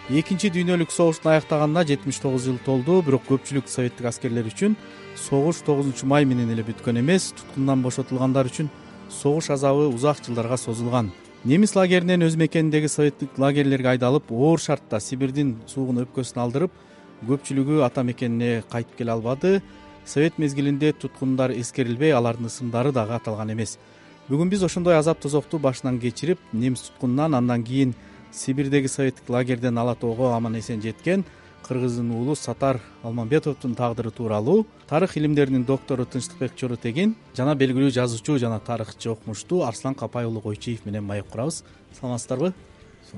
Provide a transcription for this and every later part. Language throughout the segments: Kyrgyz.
Экинчи дүйнөлүк согуштун аяктаганына 79 жыл толду, бирок көпчүлүк советтик аскерлер үчүн согуш 9 май менен эле бүткөн эмес, туткундан бошотулгандар үчүн согуш азабы узак жылдарга созулган. Немис лагеринен өз мекениндеги советтик лагерлерге айдалып, оор шартта Сибирдин суугун өпкөсүн алдырып, көпчүлүгү ата мекенине кайтып келе албады. Совет мезгилинде туткундар эскерилбей, алардын ысымдары дагы аталган эмес. Бүгүн биз ошондой азап тозокту башынан кечирип, немис туткунунан, андан кийин Сибирдеги советтик лагерден ала тоого аман эсен жеткен кыргыздын уулу Сатар Алмамбетовдун тагдыры тууралуу тарых илимдеринин доктору Тынчтыкбек Чоротегин жана белгилүү жазуучу жана тарыхчы окумуштуу Арслан Капай уулу Койчиев менен маек курабыз. Саламатсыздарбы?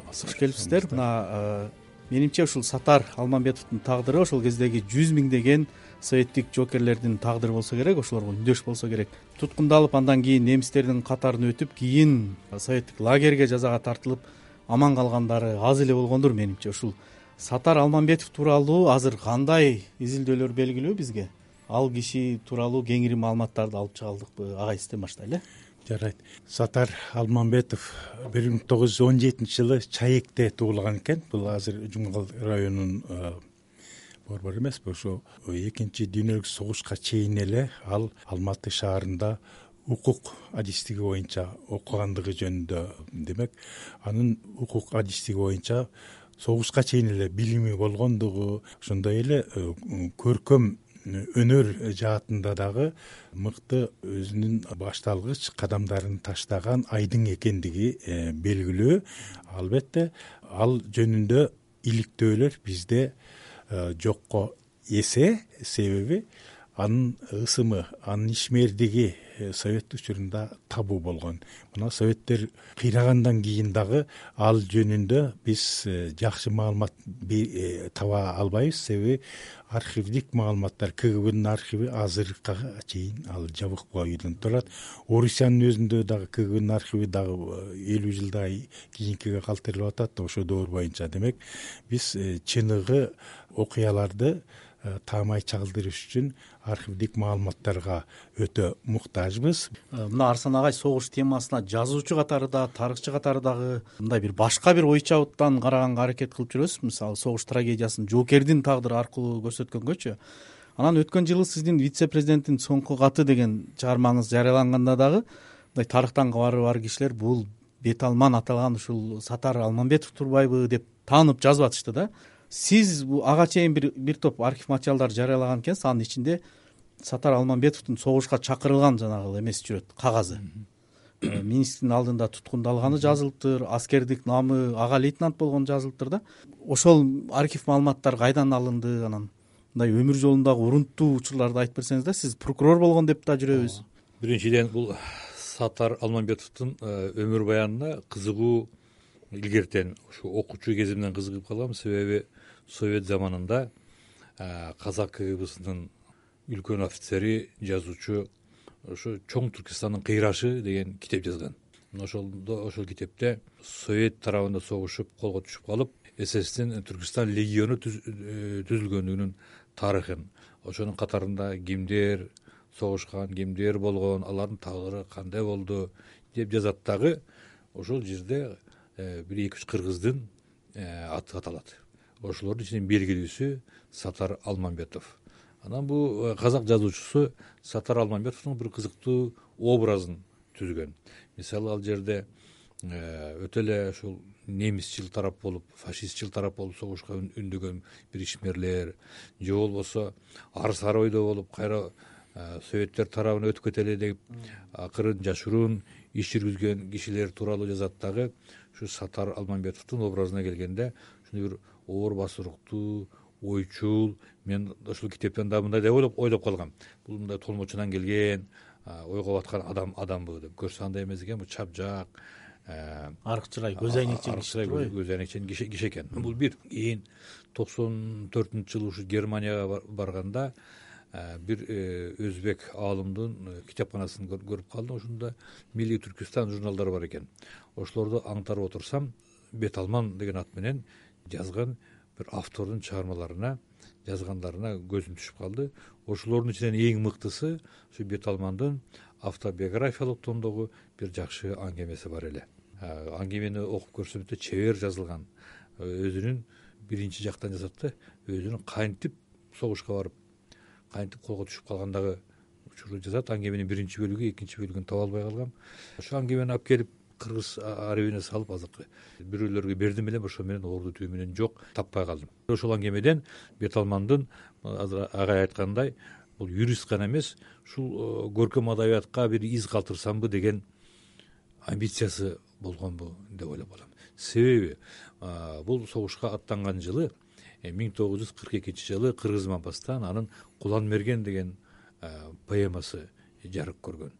Кош келипсиздер. Мына менимче ушул Сатар Алмамбетовдун тагдыры ошол кездеги 100 миңдеген советтик жоокерлердин тагдыры болсо керек, ошолорго үндөш болсо керек. Туткундалып, андан кийин немистердин катарын өтүп, кийин советтик лагерге жазага тартылып аман калгандары аз эле болгондур менимче. Ушул Сатар Алмамбетов тууралуу азыр кандай изилдөөлөр белгилүү бизге? Ал киши тууралуу кеңири маалыматтарды алып чыга алдыкпы? Агай, сизден баштайлы. Жарайт. Сатар Алмамбетов 1917 жылы Чаекте туулган экен. Бул азыр Жумгал районунун борбору эмеспи? Ошо экинчи дүйнөлүк согушка чейин эле ал Алматы шаарында укук адистиги боюнча окугандыгы жөнүндө, демек анын укук адистиги боюнча согушка чейин эле билими болгондугу, ошондой эле көркөм өнөр жаатында дагы мыкты өзүнүн башталгыч кадамдарын таштаган айдың экендиги белгилүү. Албетте ал жөнүндө иликтөөлөр бизде жокко эсе, себеби анын ысымы, анын ишмердиги совет учурунда табуу болгон. Мына советтер кыйрагандан кийин дагы ал жөнүндө биз жакшы маалымат таба албайбыз, себеби архивдик маалыматтар, КГБнын архиви азыркыга чейин ал жабык бойдон турат. Орусиянын өзүндө дагы КГБнын архиви дагы 50 жылдай кийинкиге калтырылып атат, ошо доор боюнча. Демек биз чыныгы окуяларды таамай чагылдырыш үчүн архивдик маалыматтарга өтө муктажбыз. Мына Арслан агай согуш темасына жазуучу катары да, тарыхчы катары дагы мындай бир башка бир ой чабыттан караганга аракет кылып жүрөсүз. Мисалы, согуш трагедиясын жоокердин тагдыры аркылуу көрсөткөнгөчү. Анан өткөн жылы сиздин вице-президенттин соңку каты деген чыгармаңыз жарыяланганда дагы мындай тарыхтан кабары бар кишилер бул бет алман аталган ушул Сатар Алмамбетов турбайбы деп таанып жазып атышты да. Сиз ага чейин бир топ архив материалдар жарыялаган экенсиз. Анын ичинде Сатар Алмамбетовдун согушка чакырылган жанагы эмеси жүрөт, кагазы. Министрдин алдында туткундалганы жазылыптыр, аскердик намы ага лейтенант болгону жазылыптыр да. Ошол архив маалыматтар кайдан алынды? Анан мындай өмүр жолундагы урунттуу учурларды айтып берсеңиз да. Сиз прокурор болгон деп да жүрөбүз. Биринчиден, бул Сатар Алмамбетовдун өмүр баянына кызыгуу илгертен ушу окуучу кезимден кызыгып калгам, себеби совет заманында казак КГБсынын үлкөн офицери, жазуучу ошо Чоң Түркистандын кыйрашы деген китеп жазган. Ошол китепте совет тарабында согушуп, колго түшүп калып, ССдин Түркистан легиону түзүлгөндүгүнүн тарыхын, ошонун катарында кимдер согушкан, кимдер болгон, алардын тагдыры кандай болду деп жазат. Дагы ошол жерде бир 2-3 кыргыздын аты аталат. Ошолордун ичинен белгилүүсү Сатар Алмамбетов. Анан бул казак жазуучусу Сатар Алмамбетовдун бир кызыктуу образын түзгөн. Мисалы, ал жерде өтө эле ушул немисчил тарап болуп, фашистчил тарап болуп согушка үндөгөн бир ишмерлер, же болбосо ар-сары ойдо болуп, кайра советтер тарабына өтүп кетели деп акырын жашыруун иш жүргүзгөн кишилер тууралуу жазат. Дагы ушу Сатар Алмамбетовдун образына келгенде ушундай бир оор басыруктуу, ойчул, мен ушул китептен да мындай деп ойлоп калгам. Бул мындай толмочунан келген, ойго баткан адамбы деп. Көрсө андай эмес экен, бул чапжак, арык чырай, көз айнекчен киши экен. Бул бир. Кийин 94-жылы ушу Германияга барганда бир өзбек аалымдын китепканасын көрүп калдым. Ошондо Милли Түркистан журналдары бар экен. Ошолорду аңтарып отурсам, Бет алман деген ат менен жазган бир автордун чыгармаларына, жазгандарына көзүм түшүп калды. Ошолордун ичинен эң мыктысы ушу Бет алмандын автобиографиялык тондогу бир жакшы аңгемеси бар эле. Аңгемени окуп көрсөм өтө чебер жазылган, өзүнүн биринчи жактан жасат да, өзүнүн кантип согушка барып кантип колго түшүп калгандагы учурду жазат. Аңгеменин биринчи бөлүгү, экинчи бөлүгүн таба албай калгам. Ошо аңгемени алып келип кыргыз арабине салып азыркы бирөөлөргө бердим элем, ошо менен орду түбү менен жок, таппай калдым. Ошол аңгемеден Бет Алмандын азыр агай айткандай бул юрист гана эмес, ушул көркөм адабиятка бир из калтырсамбы деген амбициясы болгонбу деп ойлоп калам. Себеби бул согушка аттанган жылы 1942 Кыргыз Мапастан анын Кулан мерген деген поэмасы жарык көргөн.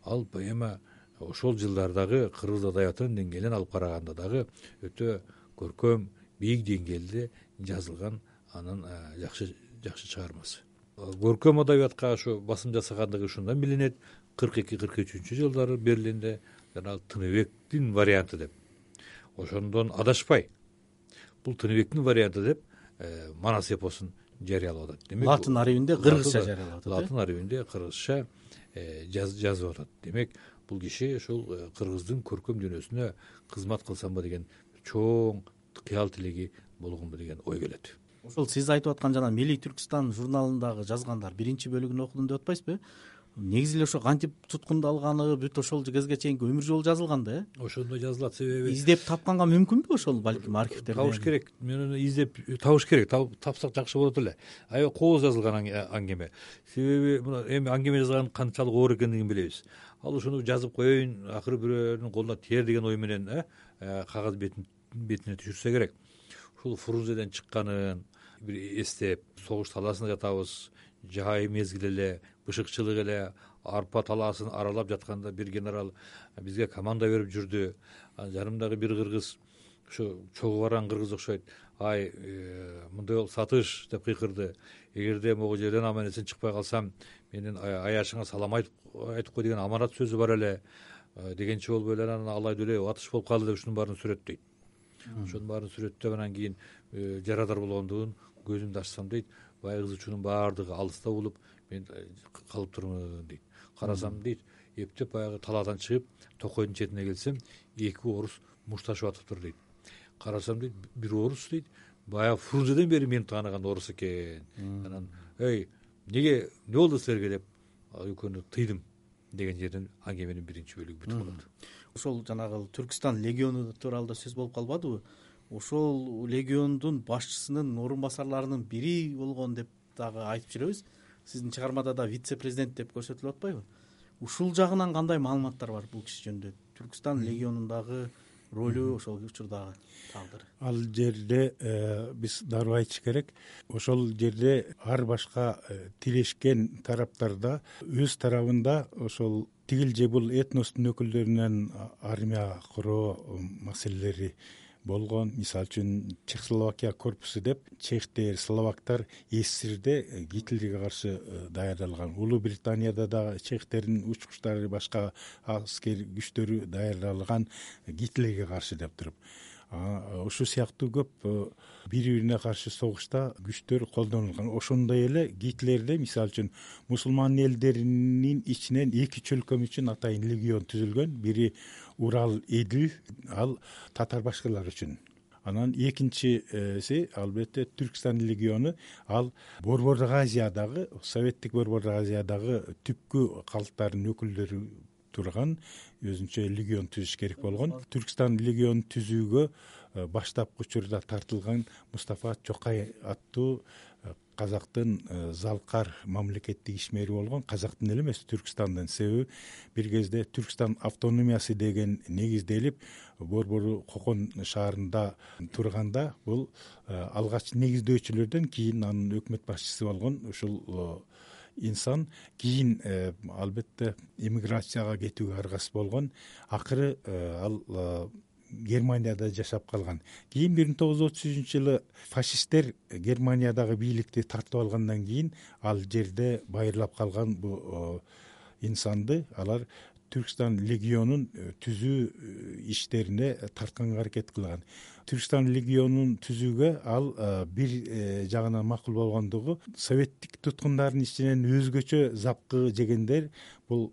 Ал поэма ошол жылдардагы кыргыз адабиятынын деңгээлин алып караганда дагы өтө көркөм, бийик деңгээлде жазылган анын жакшы чыгармасы. Көркөм адабиятка ошо басым жасагандыгы ушундан билинет. 42-43 жылдары Берлинде жана Тыныбектин варианты деп. Ошондон адашпай бул Тыныбектин варианты деп Манас эпосун жарыялап атат. Демек, латын арабинде кыргызча жарыялап атат. Латын арабинде кыргызча жазып атат. Демек, бул киши ушул кыргыздын көркөм дүйнөсүнө кызмат кылсамбы деген чоң кыял тилеги болгонбу деген ой келет. Ошол сиз айтып аткан жана Милли Түркстан журналындагы жазгандар биринчи бөлүгүн окудум деп атпайсызбы? Негизи эле ошо кантип туткундалганы бүт ошол кезге чейинки өмүр жолу жазылган да, Ошондой жазылат. Себеби издеп тапканга мүмкүнбү ошол, балким архивтерде? Табыш керек. Мен аны издеп табыш керек. Тапсак жакшы болот эле. Аябай кооз жазылган аңгеме. Себеби мына эми аңгеме жазган канчалык оор экендигин билебиз. Ал ушуну жазып коеюн, акыры бирөөнүн колуна тиер деген ой менен кагаз бетине түшүрсө керек. Ушул Фрунзеден чыкканын бир эстеп, согуш талаасында жатабыз, жай мезгил эле, бышыкчылык эле, арпа талаасын аралап жатканда бир генерал бизге команда берип жүрдү. Жанымдагы бир кыргыз, ошо чогуу барган кыргыз окшойт. Ай, мындай бол сатыш деп кыйкырды. Эгерде могу жерден аман-эсен чыкпай калсам, менин аяшыңа салам айтып кой деген аманат сөзү бар эле. Дегенче болбой эле анан алайды эле атыш болуп калды деп ушунун баарын сүрөттөйт. Ошонун баарын сүрөттөп анан кийин жарадар болгондугун көзүмдү ачсам дейт, баягы кыз учунун баардыгы алыста болуп, мен калып турмун дейт. Карасам дейт, эптеп баягы талаадан чыгып, токойдун четине келсем, эки орус мушташып атыптыр дейт. Карасам дейт, бир орус дейт, баягы Фрунзеден бери мени тааныган орус экен. Анан, эмне болду силерге деп экөөнү тыйдым деген жерден аңгеменин биринчи бөлүгү бүтүп калат. Ошол жанагы Түркстан легиону тууралуу да сөз болуп калбадыбы? Ошол легиондун башчысынын орун басарларынын бири болгон деп дагы айтып жүрөбүз. Сиздин чыгармада да вице-президент деп көрсөтүлүп атпайбы? Ушул жагынан кандай маалыматтар бар бул киши жөнүндө? Түркстан легионундагы ролу, ошол учурдагы тагдыры. Ал жерде биз дароо айтыш керек. Ошол жерде ар башка тирешкен тараптарда өз тарабында ошол тигил же бул этностун өкүлдөрүнөн армия куруу маселелери болгон. Мисалы үчүн Чехословакия корпусу деп чехтер, словактар СССРде Гитлерге каршы даярдалган. Улуу Британияда дагы чехтердин учкучтары, башка аскер күчтөрү даярдалган Гитлерге каршы деп туруп. Ошол сыяктуу көп бири-бирине каршы согушта күчтөр колдонулган. Ошондой эле Гитлерде мисалы үчүн мусулман элдеринин ичинен эки чөлкөм үчүн атайын легион түзүлгөн. Бири Урал, Эдил, ал татар башкалар үчүн. Анан экинчиси албетте Түркстан легиону, ал Борбордук Азиядагы, советтик Борбордук Азиядагы түпкү калктардын өкүлдөрү турган өзүнчө легион түзүш керек болгон. Түркстан легионун түзүүгө баштапкы учурда тартылган Мустафа Чокай аттуу казактын залкар мамлекеттик ишмери болгон. Казактын эле эмес, Түркстандын. Себеби бир кезде Түркстан автономиясы деген негизделип, Борбору Кокон шаарында турганда бул алгач негиздөөчүлөрдөн кийин анын өкмөт башчысы болгон ушул инсан кийин албетте эмиграцияга кетүүгө аргасыз болгон. Акыры ал Германияда жашап калган. Кийин 1933-жылы фашисттер Германиядагы бийликти тартып алгандан кийин ал жерде байырлап калган бу инсанды алар Түркстан легионун түзүү иштерине тартканга аракет кылган. Түркстан легионун түзүүгө ал бир жагынан макул болгондугу советтик туткундардын ичинен өзгөчө запкы жегендер бул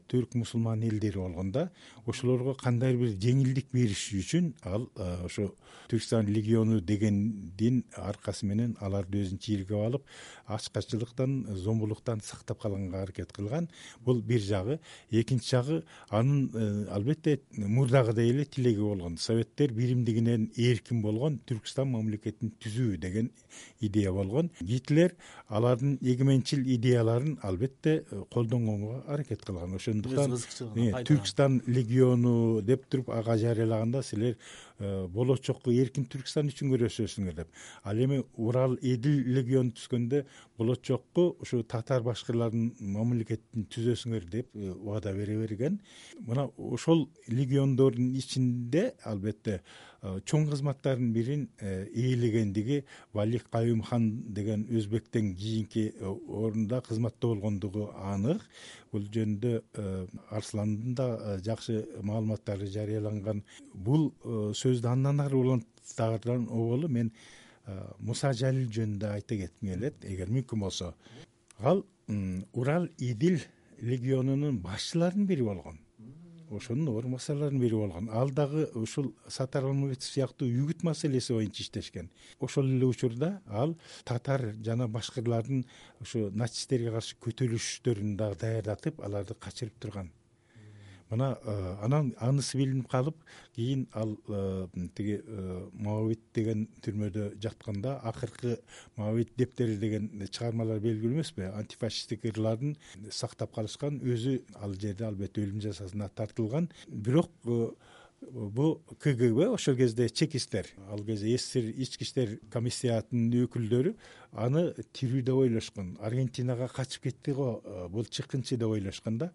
түрк мусулман элдери болгон да. Ошолорго кандайдыр бир жеңилдик бериш үчүн ал ошо Түркстан легиону дегендин аркасы менен аларды өзүнүн чийиргеп алып, ачкачылыктан, зомбулуктан сактап калганга аракет кылган. Бул бир жагы. Экинчи жагы анын албетте мурдагыдай эле тилеги болгон. Советтер биримдигинен эркин болгон Түркстан мамлекетин түзүү деген идея болгон. Гитлер алардын эгеменчил идеяларын албетте колдонгонго аракет кылган. Ошондуктан Түркстан легиону деп туруп ага жарыялаганда силер болочокко эркин Түркстан үчүн күрөшөсүңөр деп. Ал эми Урал Эдил легиону түзгөндө болочокко ушу татар башкырлардын мамлекетин түзөсүңөр деп убада бере берген. Мына ошол легиондордун ичинде албетте чоң кызматтардын бирин ээлегендиги Валих Каюм хан деген өзбектен кийинки орунда кызматта болгондугу анык. Бул жөнүндө Арсландын да жакшы маалыматтары жарыяланган. Бул сөздү андан ары улантаардан оболу мен Муса Жалил жөнүндө айта кетким келет, эгер мүмкүн болсо. Ал Урал Идил легионунун башчыларынын бири болгон. Ошонун орун басарларынын бири болгон. Ал дагы ушул Сатар Алмамбетов сыяктуу үгүт маселеси боюнча иштешкен. Ошол эле учурда ал татар жана башкырлардын ушу нацисттерге каршы көтөрүлүштөрүн дагы даярдатып, аларды качырып турган. Мына анан анысы билинип калып, кийин ал тиги Моавит деген түрмөдө жатканда акыркы Моавит дептери деген чыгармалар белгилүү эмеспи? Антифашисттик ырларын сактап калышкан, өзү ал жерде албетте өлүм жазасына тартылган. Бирок бу КГБ ошол кезде чекисттер, ал кезде СССР ички иштер комиссиятынын өкүлдөрү аны тирүү деп ойлошкон. Аргентинага качып кетти го, бул чыккынчы деп ойлошкон да.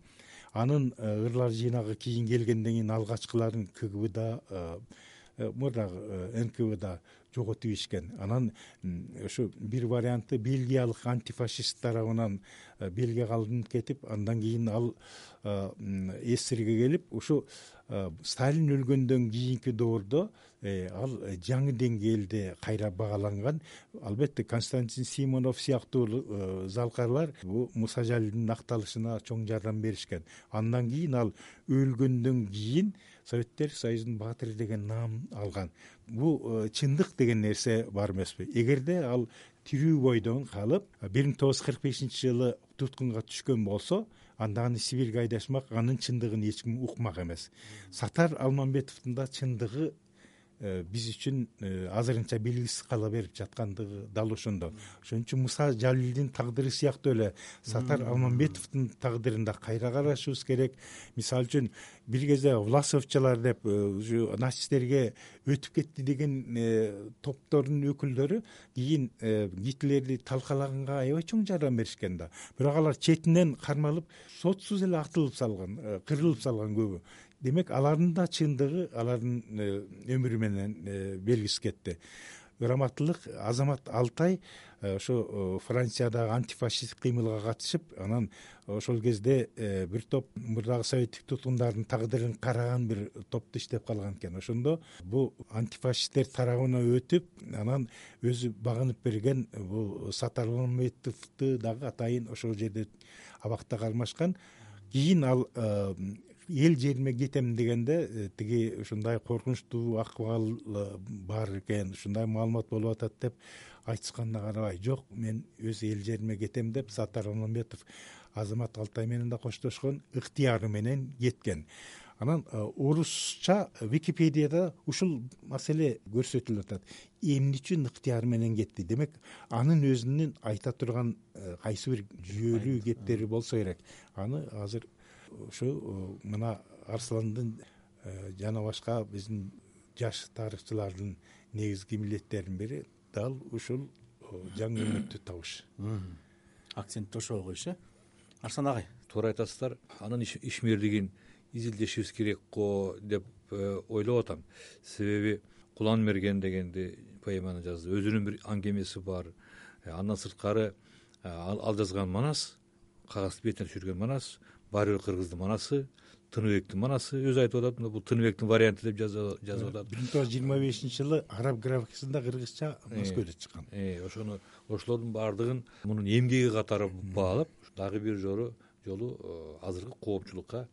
Анын ырлар жыйнагы кийин келгенден кийин алгачкыларын КГБда, мурдагы НКВда жоготуп ишкен. Анан ошо бир варианты бельгиялык антифашист тарабынан Бельгияга алынып кетип, андан кийин ал СССРге келип, ушу Сталин өлгөндөн кийинки доордо ал жаңы деңгээлде кайра багаланган. Албетте Константин Симонов сыяктуу залкарлар бу Муса Жалилдин акталышына чоң жардам беришкен. Андан кийин ал өлгөндөн кийин Советтер Союзунун баатыры деген наам алган. Бу чындык деген нерсе бар эмеспи? Эгерде ал тирүү бойдон калып 1945-жылы туткунга түшкөн болсо, анда аны Сибирге айдашмак, анын чындыгын эч ким укмак эмес. Сатар Алмамбетовдун да чындыгы биз үчүн азырынча белгисиз кала берип жаткандыгы дал ошондо. Ошон үчүн Муса Жалилдин тагдыры сыяктуу эле Сатар Алмамбетовдун тагдырында кайра карашыбыз керек. Мисалы үчүн бир кезде Власовчалар деп нацисттерге өтүп кетти деген топтордун өкүлдөрү кийин Гитлерди талкалаганга аябай чоң жардам беришкен да. Бирок алар четинен кармалып, сотсуз эле атылып салган, кырылып салган көбү. Демек, алардын да чындыгы алардын өмүрү менен белгисиз кетти. Ыраматтылык Азамат Алтай ошо Франциядагы антифашисттик кыймылга катышып, анан ошол кезде бир топ мурдагы советтик туткундардын тагдырын караган бир топту иштеп калган экен. Ошондо бу антифашисттер тарабына өтүп, анан өзү багынып берген бул Сатар Алмамбетовду дагы атайын ошол жерде абакта кармашкан. Кийин ал эл жериме кетем дегенде тиги ушундай коркунучтуу акыбал бар экен, ушундай маалымат болуп атат деп айтышканына карабай, жок, мен өз эл жериме кетем деп Сатар Алмамбетов Азамат Алтай менен да коштошкон, ыктыяры менен кеткен. Анан орусча Википедияда ушул маселе көрсөтүлүп атат. Эмне үчүн ыктыяры менен кетти? Демек, анын өзүнүн айта турган кайсы бир жүйөлүү кептери болсо керек. Аны азыр ушу мына Арсландын жана башка биздин жаш тарыхчылардын негизги милдеттеринин бири дал ушул жаңы өмүттү табыш. Акцентти ошого коюш, Арслан агай. Туура айтасыздар. Анын ишмерлигин изилдешибиз керек го деп ойлоп атам. Себеби Кулан Мерген дегенди поэманы жазды. Өзүнүн бир аңгемеси бар. Андан сырткары ал жазган манас, кагаз бетине түшүргөн манас баары бир кыргыздын манасы, Тыныбектин манасы. Өзү айтып атат, бул Тыныбектин варианты деп жазып атат. 1925-жылы араб графикасында кыргызча Москвада чыккан. Ошолордун баардыгын мунун эмгеги катары баалап, дагы бир жолу азыркы коопчулукка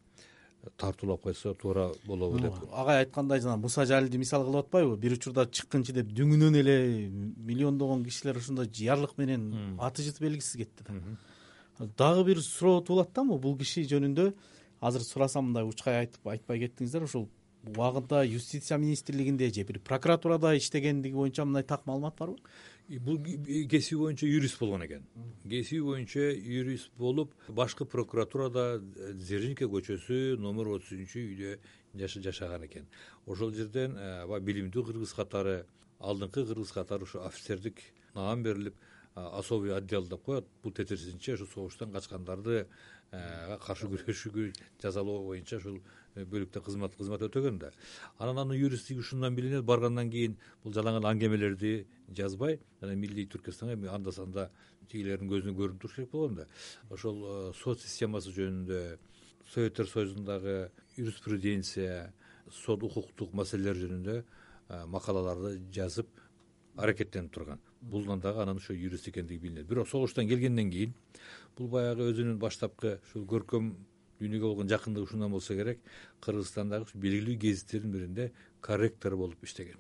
тартуулап койсо туура болобу деп. Агай айткандай, жана Муса Жалилди мисал кылып атпайбы? Бир учурда чыккынчы деп дүңүнөн эле миллиондогон кишилер ошондой жыярлык менен аты жыты белгисиз кетти да. Дагы бир суроо туулат да, бул киши жөнүндө азыр сурасам, мындай учкай айтып айтпай кеттиңиздер. Ошол убагында юстиция министрлигинде же бир прокуратурада иштегендиги боюнча мындай так маалымат барбы? Бул кесиби боюнча юрист болгон экен. Кесиби боюнча юрист болуп, башкы прокуратурада Дзержинка көчөсү номер 33-үйдө жашаган экен. Ошол жерден билимдүү кыргыз катары, алдыңкы кыргыз катары ушу офицердик наам берилип, особый отдел деп коет. Бул тетирсизинче ушу согуштан качкандарды каршы күрөшүүгө жазалоо боюнча ушул бөлүктө кызмат өтөгөн да. Анан юристтиги ушундан билинет. Баргандан кийин бул жалаң аңгемелерди жазбай, жана Милли Түркстанга анда санда тигилердин көзүнө көрүнүп туруш керек болгон да. Ошол сот системасы жөнүндө, Советтер Союзундагы юриспруденция, сот укуктук маселелер жөнүндө макалаларды жазып аракеттенип турган. Булдан дагы анан ошо юрист экендиги билинет. Бирок согуштан келгенден кийин бул баягы өзүнүн баштапкы ушул көркөм дүйнөгө болгон жакындыгы ушундан болсо керек, Кыргызстандагы белгилүү гезиттердин биринде корректор болуп иштеген.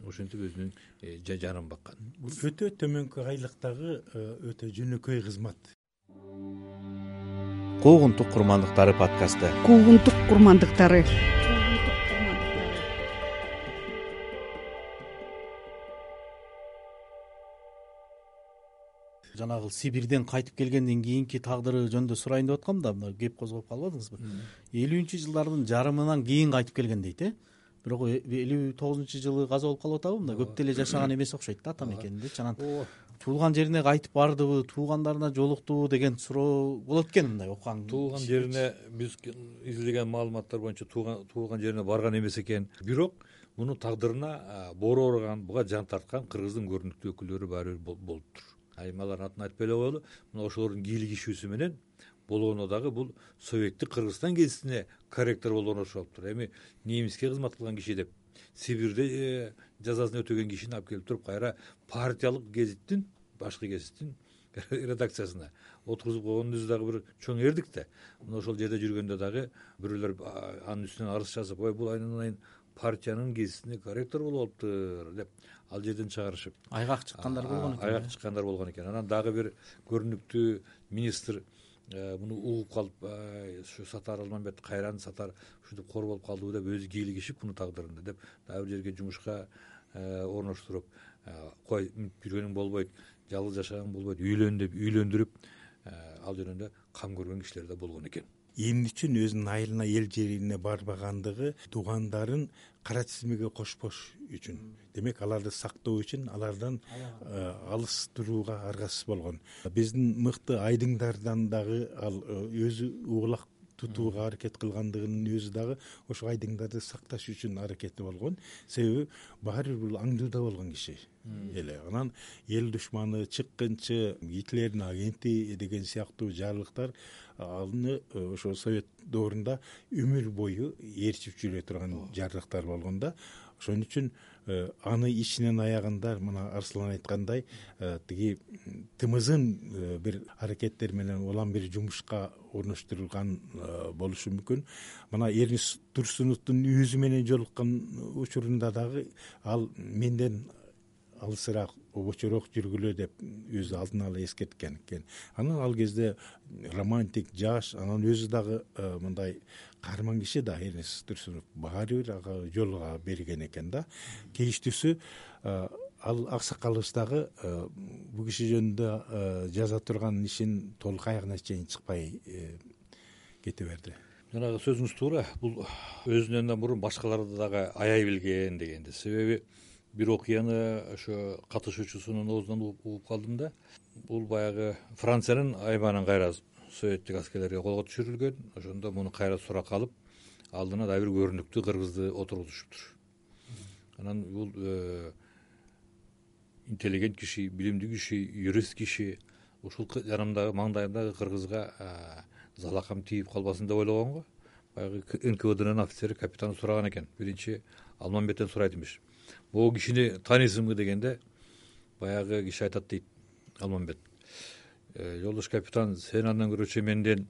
Ошентип өзүнүн жанын баккан. Бул өтө төмөнкү айлыктагы өтө жөнөкөй кызмат. Куугунтук курмандыктары подкасты. Куугунтук курмандыктары. Жанагы Сибирден кайтып келгенден кийинки тагдыры жөнүндө сурайын деп аткам да, мына кеп козгоп калбадыңызбы? 50-жылдардын жарымынан кийин кайтып келген дейт, Бирок 59-жылы каза болуп калып атабы? Мында көп деле жашаган эмес окшойт да ата мекенинде. Анан туулган жерине кайтып бардыбы, туугандарына жолуктубу деген суроо болот экен мындай окуган. Туулган жерине биз изилдеген маалыматтар боюнча туулган жерине барган эмес экен. Бирок мунун тагдырына боору ооруган, буга жан тарткан кыргыздын көрүнүктүү өкүлдөрү баары бир болуптур. Аймалардын атын айтпай эле коелу. Мына ошолордун кийлигишүүсү менен болгондо дагы бул Советтик Кыргызстан гезитине корректор болгону окшоптур. Эми немиске кызмат кылган киши деп Сибирде жазасын өтөгөн кишини алып келип туруп, кайра партиялык гезиттин, башкы гезиттин редакциясына отургузуп койгонун өзү дагы бир чоң эрдик да. Мына ошол жерде жүргөндө дагы бирөөлөр анын үстүнөн арыз жазып, ой бул айнын партиянын гезитине корректор болуп алыптыр деп ал жерден чыгарышып айгак чыккандар болгон экен. Айгак чыккандар болгон экен. Анан дагы бир көрүнүктүү министр муну угуп калып, ушу Сатар Алмамбет кайран Сатар ушинтип кор болуп калдыбы деп өзү кийлигишип муну тагдырында деп дагы бир жерге жумушка орноштуруп, кой жүргөнүң болбойт, жалгыз жашагаң болбойт, үйлөн деп үйлөндүрүп ал жөнүндө кам көргөн кишилер да болгон экен. Эмне үчүн өзүнүн айылына, эл жерине барбагандыгы туугандарын кара тизмеге кошпош үчүн. Демек, аларды сактоо үчүн алардан алыс турууга аргасыз болгон. Биздин мыкты айдыңдардан дагы ал өзү угулак тутууга аракет кылгандыгынын өзү дагы ошо айдыңдарды сакташ үчүн аракети болгон. Себеби баары бир аңдууда болгон киши эле. Анан эл душманы, чыккынчы, Гитлердин агенти деген сыяктуу жарлыктар аны ошо Совет доорунда өмүр бою ээрчип жүрө турган жарлыктар болгон да. Ошон үчүн аны ичинен аягында мына Арслан айткандай тиги тымызын бир аракеттер менен улам бир жумушка орноштурулган болушу мүмкүн. Мына Эрнис Турсуновдун өзү менен жолуккан учурунда дагы ал менден алысыраак, обочороок жүргүлө деп өзү алдын ала эскерткен экен. Анан ал кезде романтик, жаш, анан өзү дагы мындай каарман киши да Эрнис Турсунов баары бир ага жол берген экен да. Кейиштүүсү ал аксакалыбыз дагы бул киши жөнүндө жаза турган ишин толук аягына чейин чыкпай кете берди. Жанагы сөзүңүз туура. Бул өзүнөн мурун башкаларды дагы аяй билген дегенди. Себеби бир окуяны ошо катышуучусунун оозунан угуп калдым да. Бул баягы Франциянын аймагынан кайра советтик аскерлерге колго түшүрүлгөн. Ошондо муну кайра суракка алып, алдына дагы бир көрүнүктүү кыргызды отургузушуптур. Анан бул интеллигент киши, билимдүү киши, юрист киши ушул жанымдагы маңдайымдагы кыргызга залакам тийип калбасын деп ойлогон го. Баягы НКВДнын офицери капитаны сураган экен, биринчи Алмамбеттен сурайт имиш. Могу кишини тааныйсыңбы дегенде, баягы киши айтат дейт Алмамбет: жолдош капитан, сен андан көрөчү менден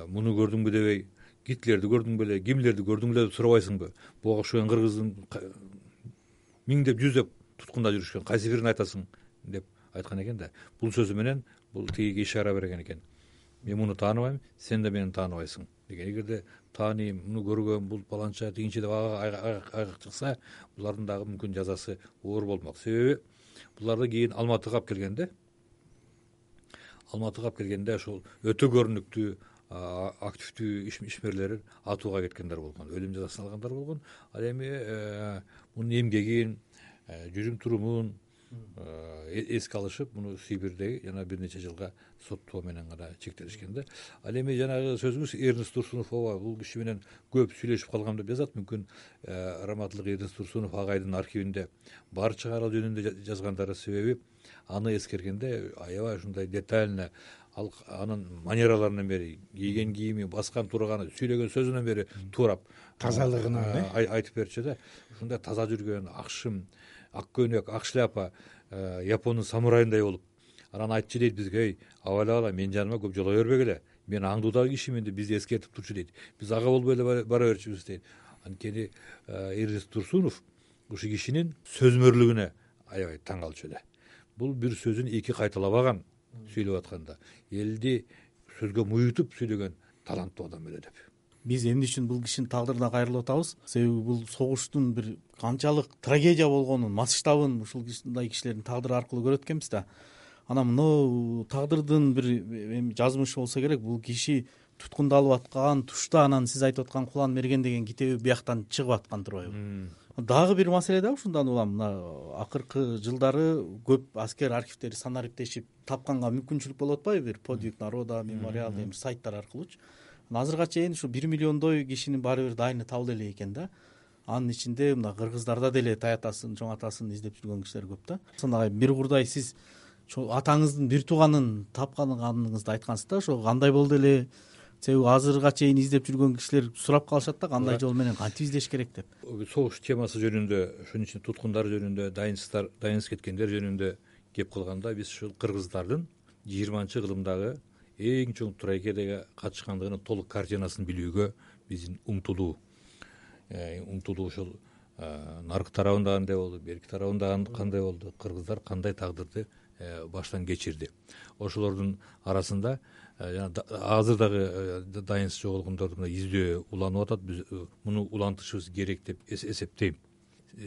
муну көрдүңбү дебей, Гитлерди көрдүң беле, Гиммлерди көрдүң беле деп сурабайсыңбы? Буга окшогон кыргыздын миңдеп, жүздеп туткунда жүрүшкөн, кайсы бирин айтасың деп айткан экен да. Бул сөзү менен бул тигиге ишара берген экен. Мен муну тааныбайм, сен да мени тааныбайсың деген. Эгерде тааныйм, муну көргөм, бул баланча тигинче деп айгак чыкса, булардын дагы мүмкүн жазасы оор болмок. Себеби буларды кийин Алматыга алып келгенде ошол өтө көрүнүктүү активдүү ишмерлер атууга кеткендер болгон, өлүм жазасын алгандар болгон. Ал эми мунун эмгегин, жүрүм турумун эске алышып, муну Сибирдеги жана бир нече жылга соттоо менен гана чектелишкен да. Ал эми жанагы сөзүбүз Эрнест Турсунов ооба бул киши менен көп сүйлөшүп калгам деп жазат. Мүмкүн раматтылык Эрнест Турсунов агайдын архивинде бар чыгар ал жөнүндө жазгандары. Себеби аны эскергенде аябай ушундай детально анын манераларынан бери, кийген кийими, баскан турганы, сүйлөгөн сөзүнөн бери туурап тазалыгынан айтып берчү да. Ушундай таза жүргөн, акшым, ак көйнөк, ак шляпа, Япондун самурайындай болуп, анан айтчу дейт бизге: абайлабала, менин жаныма көп жолой бербегиле, мен аңдуудагы кишимин деп бизди эскертип турчу дейт. Биз ага болбой эле бара берчүбүз дейт. Анткени Эрнест Турсунов ушул кишинин сөзмөрлүгүнө аябай таң калчу эле. Бул бир сөзүн эки кайталабаган сүйлөп атканда, элди сөзгө муютуп сүйлөгөн таланттуу адам эле деп. Биз эмне үчүн бул кишинин тагдырына кайрылып атабыз? Себеби бул согуштун бир канчалык трагедия болгонун, масштабын ушул кишилердин тагдыры аркылуу көрөт экенбиз да. Анан мына тагдырдын бир жазмышы болсо керек. Бул киши туткундалып аткан тушта анан сиз айтып аткан Кулан мерген деген китеби бияктан чыгып аткан турбайбы? Дагы бир маселе да ушундан улам, мына акыркы жылдары көп аскер архивдери санариптешип тапканга мүмкүнчүлүк болуп атпайбы? Бир подвиг народа, мемориал деген сайттар аркылуучу. Азырга чейин ушу 1 миллиондой кишинин баары бир дайыны табыла элек экен да. Анын ичинде мына кыргыздарда деле таятасын, чоң атасын издеп жүргөн кишилер көп да. Сонда бир курдай сиз атаңыздын бир тууганын тапканыңызды айткансыз да. Ошо кандай болду эле? Себеби азырга чейин издеп жүргөн кишилер сурап калышат да, кандай жол менен кантип издеш керек деп. Согуш темасы жөнүндө, ошонун ичинде туткундар жөнүндө, дайынсыз кеткендер жөнүндө кеп калганда, биз ушул кыргыздардын 20-кылымдагы эң чоң трагедияга катышкандыгынын толук картинасын билүүгө биздин умтулуу ошол наркы тарабында кандай болду, берки тарабында кандай болду, кыргыздар кандай тагдырды баштан кечирди. Ошолордун арасында азыр дагы дайынсыз жоголгондорду издөө уланып атат. Биз муну улантышыбыз керек деп эсептейм.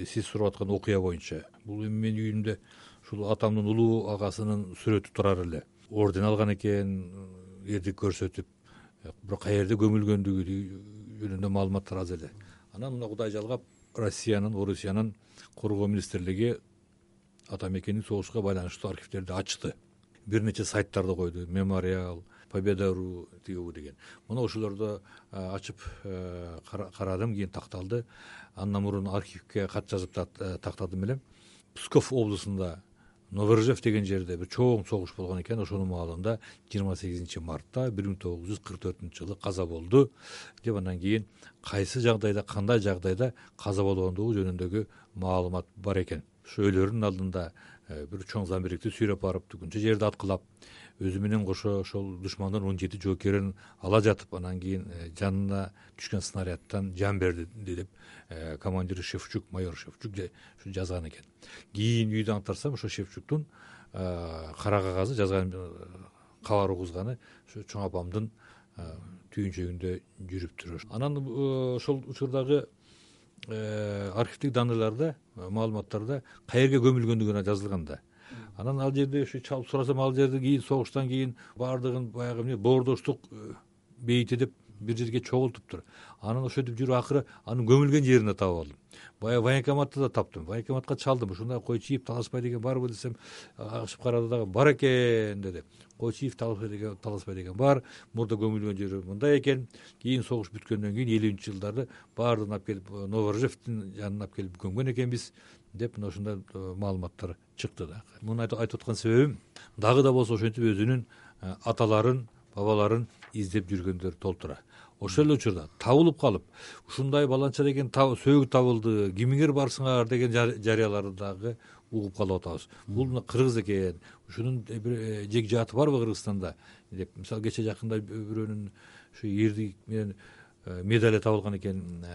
Сиз сурап аткан окуя боюнча, бул менин үйүмдө ушул атамдын улуу агасынын сүрөтү турар эле. Орден алган экен, эрдик көрсөтүп, бирок каерде көмүлгөндүгү жөнүндө маалыматтар аз эле. Анан мына Кудай жалгап, Орусиянын коргоо министрлиги атамекенин согушка байланыштуу архивдерди ачты. Бир нече сайттарды койду: Мемориал, Победа.ру деген. Мына ошолорду ачып карадым, кийин такталды. Андан мурун архивге кат жазып тактадым элем. Псков облусунда Новоржев деген жерде бир чоң согуш болгон экен. Ошонун маалында 28 мартта 1944-жылы каза болду деп, андан кийин кайсы жагдайда, кандай жагдайда каза болгондугу жөнүндөгү маалымат бар экен. Ошо өлөрүнүн алдында бир чоң замбирикти сүйрөп барып, түгүнчө жерди аткылап, өзү менен кошо ошол душмандын 17 жоокерин ала жатып, анан кийин жанына түшкөн снарядтан жан берди деп командири Шевчук, майор Шевчук жазган экен. Кийин үйдө аңтарсам, ошо Шевчуктун кара кагазы жазган кабар угузганы ошо чоң апамдын түйүнчөгүндө жүрүптүр. Анан ошол учурдагы архивдик данныйларда, маалыматтарда каерге көмүлгөндүгүнө жазылган да. Анан ал жерде ушу чалып сурасам, ал жерде кийин согуштан кийин баардыгын баягы боордоштук бейити деп бир жерге чогултуптур. Анан ошентип жүрүп акыры анын көмүлгөн жерине таап алдым. Баягы военкоматты да таптым. Военкоматка чалдым. Ушундай Койчиев, Таласпай деген барбы десем, ачып карады дагы, бар экен деди. Койчиев, Таласпай деген бар. Мурда көмүлгөн жери мындай экен. Кийин согуш бүткөндөн кийин 50-жылдарды баардыгын алып келип Новоржевдин жанына алып келип көмгөн экенбиз деп, мына ушундай маалыматтар чыкты да. Муну айтып аткан себебим, дагы да болсо ошентип өзүнүн аталарын, бабаларын издеп жүргөндөр толтура. Ошол эле учурда табылып калып, ушундай баланча деген сөөгү табылды, кимиңер барсыңар деген жарыяларды дагы угуп калып атабыз. Бул мына кыргыз экен, ушунун жег жааты барбы Кыргызстанда деп. Мисалы кече жакында бирөөнүн ушу эрдик менен медали табылган экен,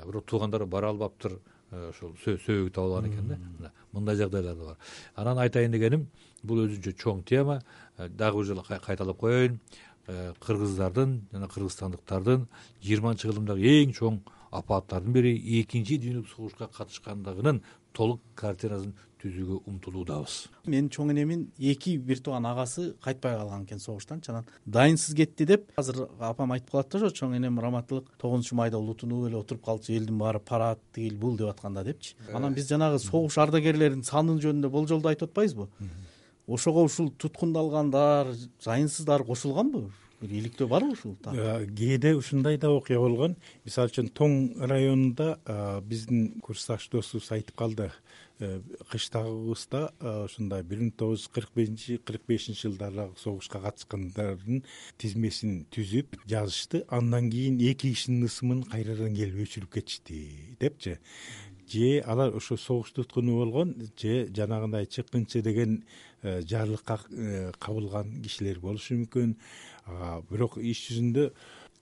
бирок туугандары бара албаптыр, ошол сөөгү табылган экен да. Мындай жагдайлар да бар. Анан айтайын дегеним, бул өзүнчө чоң тема. Дагы бир жолу кайталап коеюн. Кыргыздардын жана кыргызстандыктардын 20-кылымдагы эң чоң апааттардын бири экинчи дүйнөлүк согушка катышкандыгынын толук картинасын түзүүгө умтулуудабыз. Менин чоң энемин 2 бир тууган агасы кайтпай калган экен согуштан, анан дайынсыз кетти деп азыр апам айтып калат да, ошо чоң энем раматтылык 9-майда улутунуп эле отуруп калчу, элдин баары парад тигил бул деп атканда депчи. Анан биз жанагы согуш ардагерлеринин саны жөнүндө болжолду айтып атпайбызбы? Ошого ушул туткундалгандар, жайынсыздар кошулганбы? Бир иликтөө барбы ушул? Кээде ушундай да окуя болгон. Мисалы үчүн Тоң районунда биздин курсташ досубуз айтып калды. Кыштагыбызда ушундай 1945 жылдардагы согушка катышкандардын тизмесин түзүп жазышты. Андан кийин 2 кишинин ысымын кайрадан келип өчүрүп кетишти депчи. Же алар ошо согуш туткуну болгон, же жанагындай чыккынчы деген жарлыкка кабылган кишилер болушу мүмкүн. Бирок иш жүзүндө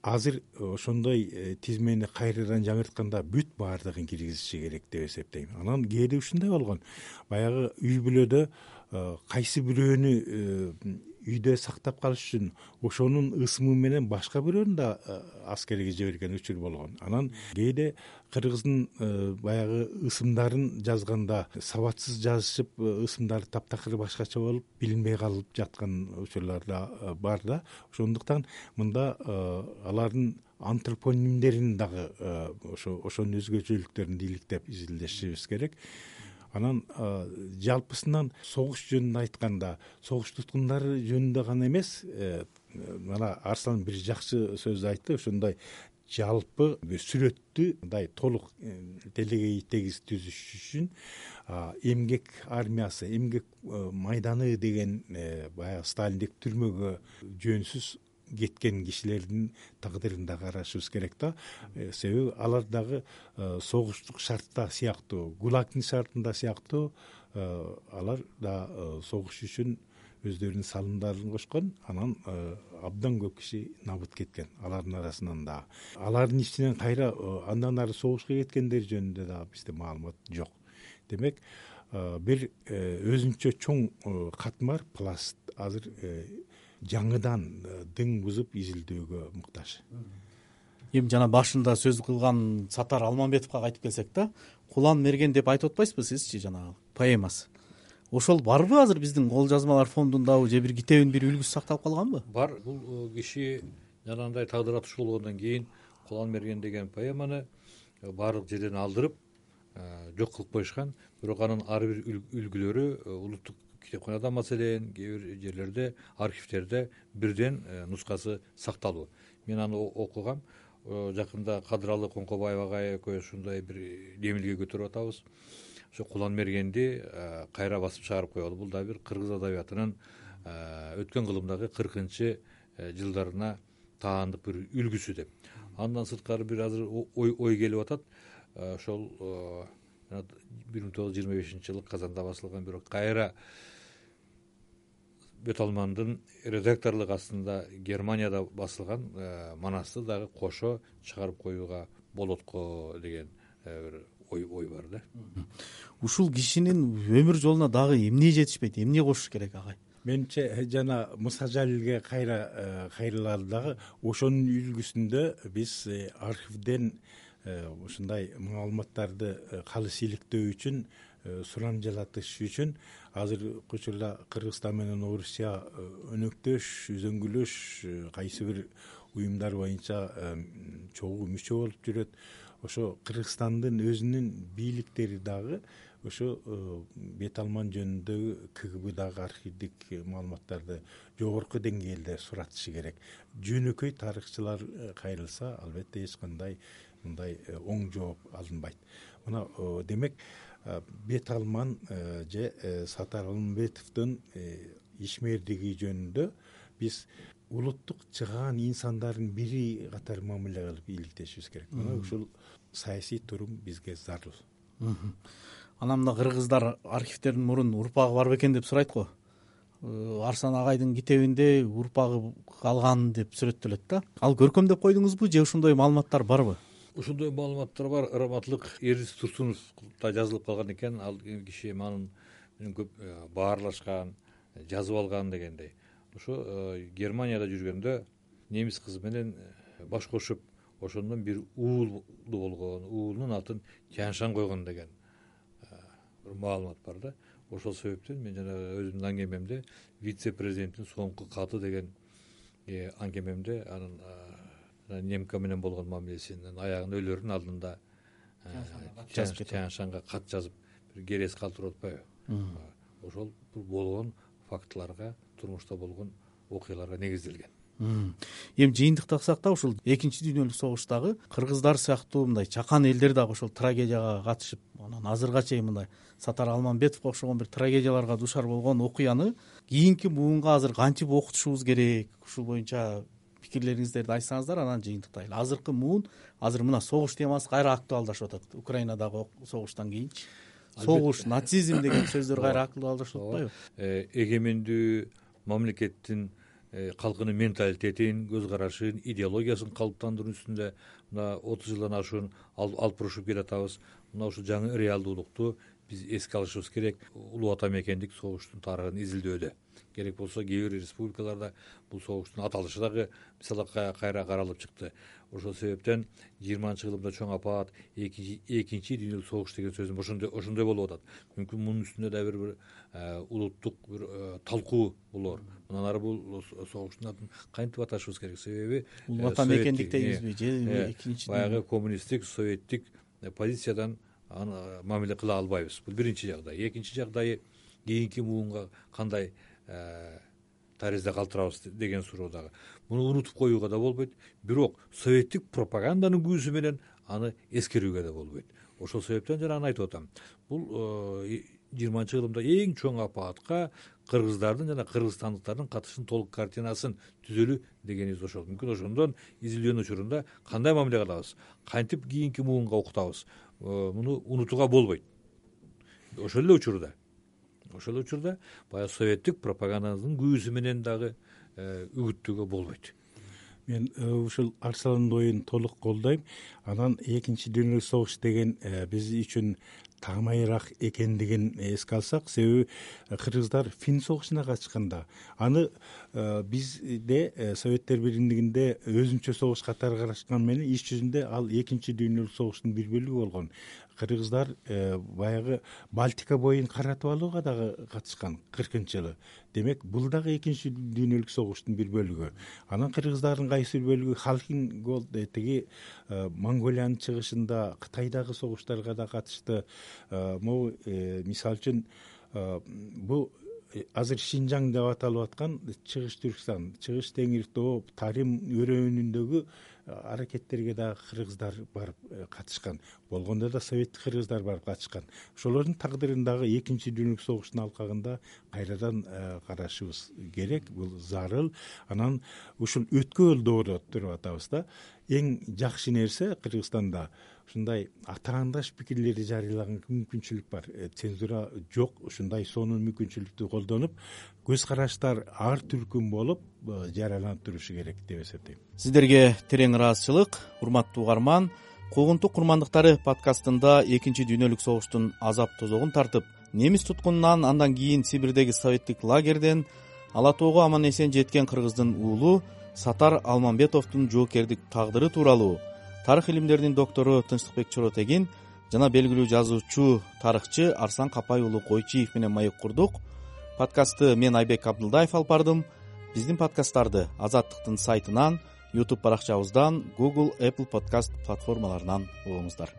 азыр ошондой тизмени кайрадан жаңыртканда бүт баардыгын киргизиши керек деп эсептейм. Анан кээде ушундай болгон. Баягы үй бүлөдө кайсы бирөөнү үйдө сактап калыш үчүн ошонун ысымы менен башка бирөөнү да аскерге жиберген учур болгон. Анан кээде кыргыздын баягы ысымдарын жазганда сабатсыз жазышып, ысымдары таптакыр башкача болуп, билинбей калып жаткан учурлар да бар да. Ошондуктан мында алардын антропонимдерин дагы ошонун өзгөчөлүктөрүн иликтеп изилдешибиз керек. Анан жалпысынан согуш жөнүндө айтканда, согуш туткундары жөнүндө гана эмес, мына Арслан бир жакшы сөз айтты, ошондой жалпы бир сүрөттү мындай толук делегей тегиз түзүш үчүн эмгек армиясы, эмгек майданы деген баягы Сталиндик түрмөгө жөнсүз кеткен кишилердин тагдырын да карашыбыз керек да. Себеби алар дагы согуштук шартта сыяктуу, ГУЛАГдын шартында сыяктуу алар да согуш үчүн өздөрүнүн салымдарын кошкон. Анан абдан көп киши набыт кеткен алардын арасынан да. Алардын ичинен кайра андан ары согушка кеткендер жөнүндө да бизде маалымат жок. Демек, бир өзүнчө чоң катмар пласт азыр жаңыдан дың бузуп изилдөөгө муктаж. Эми жана башында сөз кылган Сатар Алмамбетовго кайтып келсек да, Кулан мерген деп айтып атпайсызбы сизчи, жанагы поэмасы? Ошол барбы азыр биздин кол жазмалар фондундабы, же бир китебин бир үлгүсү сакталып калганбы? Бар. Бул киши жанагындай тагдыр атыш болгондон кийин Кулан мерген деген поэманы баардык жерден алдырып жок кылып коюшкан. Бирок анын ар бир үлгүлөрү улуттук китепканада, маселен, кээ бир жерлерде, архивдерде бирден нускасы сакталуу. Мен аны окугам. Жакында Кадыралы Коңкобаева экөөбүз ушундай бир демилге көтөрүп атабыз. Ошо Кулан мергенди кайра басып чыгарып коелу. Бул да бир кыргыз адабиятынын өткөн кылымдагы 40 жылдарына таандык бир үлгүсү деп. Андан сырткары бир азыр ой келип атат. Ошол 1925 жылы Казанда басылган, бирок кайра Бөталмандын редакторлук астында Германияда басылган манасты дагы кошо чыгарып коюуга болот го деген бир ой бар да. Ушул кишинин өмүр жолуна дагы эмне жетишпейт, эмне кошуш керек агай? Менимче жана Муса Жалилге кайрылалы дагы ошонун үлгүсүндө биз архивден ушундай маалыматтарды калыс иликтөө үчүн, сурам жалатыш үчүн азыркы учурда Кыргызстан менен Орусия өнөктөш, үзөңгүлөш, кайсы бир уюмдар боюнча чогуу мүчө болуп жүрөт. Ошо Кыргызстандын өзүнүн бийликтери дагы ошо Бет Алман жөнүндөгү КГБдагы архивдик маалыматтарды жогорку деңгээлде суратышы керек. Жөнөкөй тарыхчылар кайрылса, албетте эч кандай мындай оң жооп алынбайт. Мына демек, Бет Алман же Сатар Алмамбетовдун ишмердиги жөнүндө биз улуттук чыгаан инсандардын бири катары мамиле кылып иликтешибиз керек. Мына ушул саясий турум бизге зарыл. Анан мына кыргыздар архивтердин мурун урпагы бар бекен деп сурайт го. Арсан агайдын китебинде урпагы калган деп сүрөттөлөт да. Ал көркөмдөп койдуңузбу же ушундай маалыматтар барбы? Ушундай маалыматтар бар. Ырыматтылык Эрдис Турсуновда жазылып калган экен. Ал киши анын көп баарлашкан, жазып алган дегендей. Ошо Германияда жүргөндө немис кызы менен баш кошуп, ошондон бир уулу болгон, уулунун атын Тяншан койгон деген бир маалымат бар да. Ошол себептен мен жана өзүмдүн аңгемемде вице-президенттин соңку каты деген аңгемемде анын немка менен болгон мамилесинин аягында өлөрүнүн алдында Тяншанга кат жазып бир керес калтырып атпайбы? Ошол болгон фактыларга, турмушта болгон окуяларга негизделген. Эми жыйынтыктасак да ушул экинчи дүйнөлүк согуштагы кыргыздар сыяктуу мындай чакан элдер дагы ошол трагедияга катышып, анан азыркыга чейин мындай Сатар Алмамбетовго окшогон бир трагедияларга душар болгон окуяны кийинки муунга азыр кантип окутушубуз керек? Ушул боюнча пикирлериңиздерди айтсаңыздар, анан жыйынтыктайлы. Азыркы муун азыр мына согуш темасы кайра актуалдашып атат. Украинадагы согуштан кийинчи согуш, нацизм деген сөздөр кайра актуалдашып атпайбы? Эгемендүү мамлекеттин калкынын менталитетин, көз карашын, идеологиясын калыптандыруу үстүндө мына 30 жылдан ашуун алып урушуп келатабыз. Мына ушул жаңы реалдуулукту биз эске алышыбыз керек. Улуу ата мекендик согуштун тарыхын изилдөөдө. Керек болсо кээ бир республикаларда бул согуштун аталышы дагы мисалы кайра каралып чыкты. Ошол себептен 20-жылымда чоң апаат, экинчи дүйнөлүк согуш деген сөзүм ошондой болуп атат. Мүмкүн мунун үстүндө да бир улуттук бир талкуу болор. Мындан ары бул согуштун атын кантип аташыбыз керек? Себеби улуу ата мекендик дейбизби же экинчи баягы коммунисттик, советтик позициядан мамиле кыла албайбыз. Бул биринчи жагдай. Экинчи жагдайы кийинки муунга кандай таризде калтырабыз деген суроо дагы. Муну унутуп коюуга да болбойт. Бирок советтик пропаганданын көзү менен аны эскерүүгө да болбойт. Ошол себептен жана аны айтып атам. Бул 20-жылымда эң чоң апаатка кыргыздардын жана кыргызстандыктардын катышын толук картинасын түзөлүү дегенибиз ошол. Мүмкүн ошондон изилдөөнүн учурунда кандай мамиле кылабыз, кантип кийинки муунга окутабыз, муну унутууга болбойт. Ошол эле учурда баягы советтик пропаганданын көзү менен дагы үгүттөөгө болбойт. Мен ушул Арсландын оюн толук колдойм. Анан экинчи дүйнөлүк согуш деген биз үчүн таамайыраак экендигин эске алсак, себеби кыргыздар Фин согушуна катышканда аны бизде Советтер Биримдигинде өзүнчө согуш катары карашкан менен иш жүзүндө ал экинчи дүйнөлүк согуштун бир бөлүгү болгон. Кыргыздар баягы Балтика боюн каратып алууга дагы катышкан 40-жылы. Демек, бул дагы экинчи дүйнөлүк согуштун бир бөлүгү. Анан кыргыздардын кайсы бир бөлүгү Халкин Голд тиги Монголиянын чыгышында Кытайдагы согуштарга да катышты. Могу мисалы үчүн бул азыр Шинжаң деп аталып аткан Чыгыш Түркстан, Чыгыш Теңир Тоо, Тарим өрөөнүндөгү аракеттерге да кыргыздар барып катышкан. Болгондо да советтик кыргыздар барып катышкан. Ошолордун тагдырын дагы экинчи дүйнөлүк согуштун алкагында кайрадан карашыбыз керек. Бул зарыл. Анан ушул өткөн доордо туруп атабыз да. Эң жакшы нерсе Кыргызстанда ушундай атаандаш пикирлерди жарыялаган мүмкүнчүлүк бар. Цензура жок. Ушундай сонун мүмкүнчүлүктү колдонуп, көз караштар ар түркүм болуп жарыяланып турушу керек деп эсептейм. Сиздерге терең ыраазычылык, урматтуу угарман. Куугунтук курмандыктары подкастында экинчи дүйнөлүк согуштун азап тозогун тартып, немис туткунунан андан кийин Сибирдеги советтик лагерден Ала Тоого аман эсен жеткен кыргыздын уулу Сатар Алмамбетовдун жоокердик тагдыры тууралуу тарых илимдеринин доктору Тынчтыкбек Чоротегин жана белгилүү жазуучу, тарыхчы Арсан Капай уулу Койчиев менен маек курдук. Подкастты мен Айбек Абдылдаев алып бардым. Биздин подкасттарды Азаттыктын сайтынан, YouTube баракчабыздан, Google, Apple Podcast платформаларынан угуңуздар.